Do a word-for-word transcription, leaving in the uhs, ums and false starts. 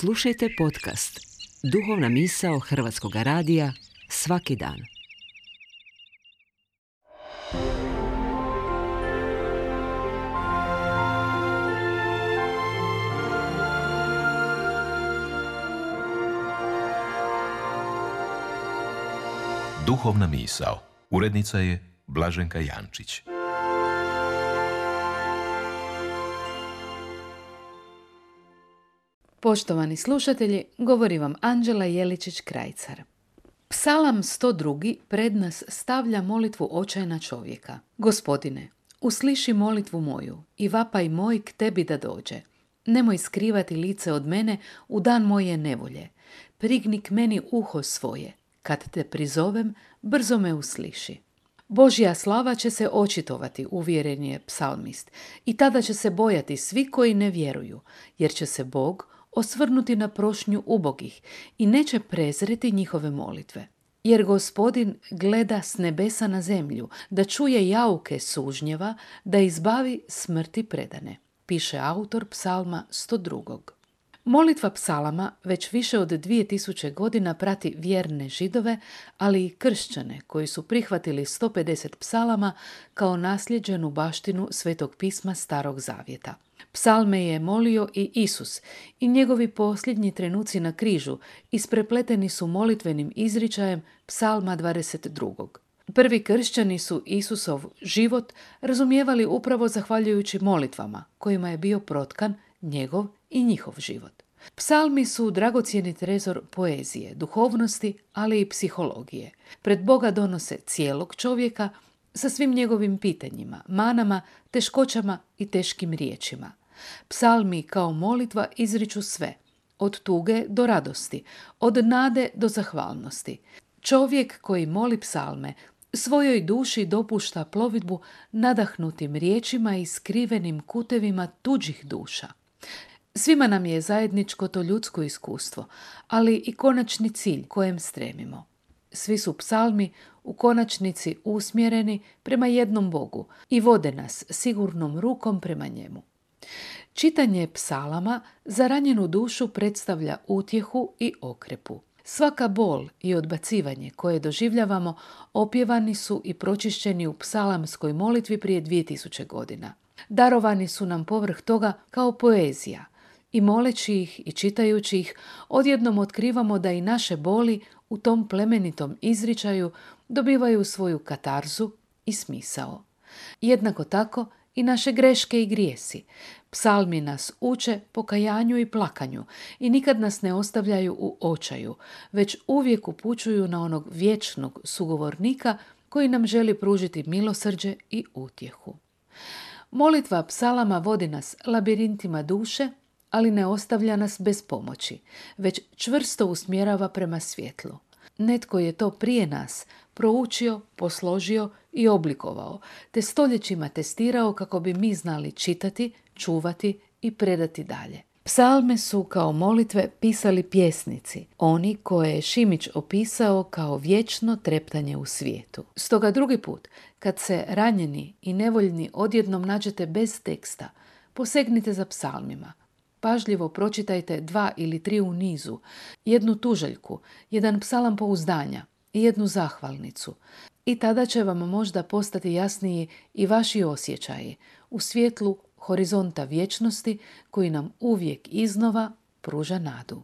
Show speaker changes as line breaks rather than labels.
Slušajte podcast Duhovna misao Hrvatskog radija svaki dan.
Duhovna misao. Urednica je Blaženka Jančić.
Poštovani slušatelji, govori vam Anđela Jeličić-Krajcar. Psalam sto dva pred nas stavlja molitvu očajna čovjeka. Gospodine, usliši molitvu moju i vapaj moj k tebi da dođe. Nemoj skrivati lice od mene u dan moje nevolje. Prigni k meni uho svoje. Kad te prizovem, brzo me usliši. Božja slava će se očitovati, uvjeren je psalmist, i tada će se bojati svi koji ne vjeruju, jer će se Bog osvrnuti na prošnju ubogih i neće prezreti njihove molitve. Jer Gospodin gleda s nebesa na zemlju, da čuje jauke sužnjeva, da izbavi smrti predane, piše autor psalma sto dva. Molitva psalama već više od dvije tisuće godina prati vjerne Židove, ali i kršćane koji su prihvatili sto pedeset psalama kao nasljeđenu baštinu Svetog pisma Starog zavjeta. Psalme je molio i Isus i njegovi posljednji trenuci na križu isprepleteni su molitvenim izričajem psalma dvadeset dva. Prvi kršćani su Isusov život razumijevali upravo zahvaljujući molitvama kojima je bio protkan njegov i njihov život. Psalmi su dragocjeni trezor poezije, duhovnosti, ali i psihologije. Pred Boga donose cijelog čovjeka sa svim njegovim pitanjima, manama, teškoćama i teškim riječima. Psalmi kao molitva izriču sve, od tuge do radosti, od nade do zahvalnosti. Čovjek koji moli psalme svojoj duši dopušta plovidbu nadahnutim riječima i skrivenim kutevima tuđih duša. Svima nam je zajedničko to ljudsko iskustvo, ali i konačni cilj kojem stremimo. Svi su psalmi u konačnici usmjereni prema jednom Bogu i vode nas sigurnom rukom prema njemu. Čitanje psalama za ranjenu dušu predstavlja utjehu i okrepu. Svaka bol i odbacivanje koje doživljavamo opjevani su i pročišćeni u psalamskoj molitvi prije dvije tisuće godina. Darovani su nam povrh toga kao poezija i moleći ih i čitajući ih odjednom otkrivamo da i naše boli u tom plemenitom izričaju dobivaju svoju katarzu i smisao. Jednako tako i naše greške i grijesi. Psalmi nas uče pokajanju i plakanju i nikad nas ne ostavljaju u očaju, već uvijek upućuju na onog vječnog sugovornika koji nam želi pružiti milosrđe i utjehu. Molitva psalama vodi nas labirintima duše, ali ne ostavlja nas bez pomoći, već čvrsto usmjerava prema svjetlu. Netko je to prije nas proučio, posložio i oblikovao, te stoljećima testirao kako bi mi znali čitati, čuvati i predati dalje. Psalme su kao molitve pisali pjesnici, oni koje je Šimić opisao kao vječno treptanje u svijetu. Stoga drugi put, kad se ranjeni i nevoljni odjednom nađete bez teksta, posegnite za psalmima. Pažljivo pročitajte dva ili tri u nizu, jednu tuželjku, jedan psalam pouzdanja i jednu zahvalnicu. I tada će vam možda postati jasniji i vaši osjećaji u svjetlu horizonta vječnosti koji nam uvijek iznova pruža nadu.